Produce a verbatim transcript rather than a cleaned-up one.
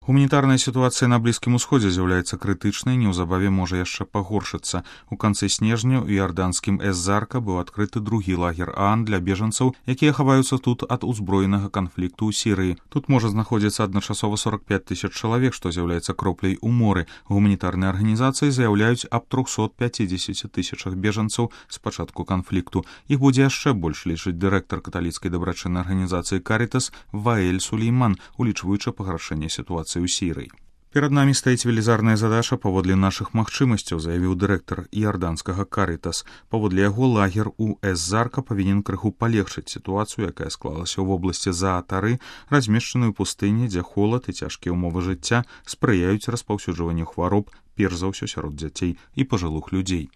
Гуманітарная сітуацыя на Блізкім Усходзе з'яўляецца крытычнай, неўзабаве можа яшчэ пагоршыцца. У канцы снежня ў іарданскім Эз-Зарка быў адкрыты другі лагер ААН для бежанцаў, якія хаваюцца тут ад узброенага канфлікту ў Сірыі. Тут можа знаходзіцца адначасова сорок пяць тысяч чалавек, што з'яўляецца кропляй у моры. Гуманітарныя арганізацыі заяўляюць аб трохсот пяцідзесяці тысячах бежанцаў з пачатку канфлікту. Іх будзе яшчэ больш, лічыць дырэктар каталіцкай дабрачыннай арганізацыі Карітас Ваэль Сулейман, улічваючы пагаршэнне сітуацыі ў Сірыі. Перад намі стаіць велізарная задача паводле нашых магчымасцяў, заявіў дырэктар іарданскага Карітас. Паводле яго лагер у Эз-Зарка павінен крыху палегчыць сітуацыю, якая склалася ў вобласці Заатары, размешчаную ў пустыні, дзе холад і цяжкія ўмовы жыцця спрыяюць распаўсюджванню хвароб, перш за ўсё сярод дзяцей і пажылых людзей.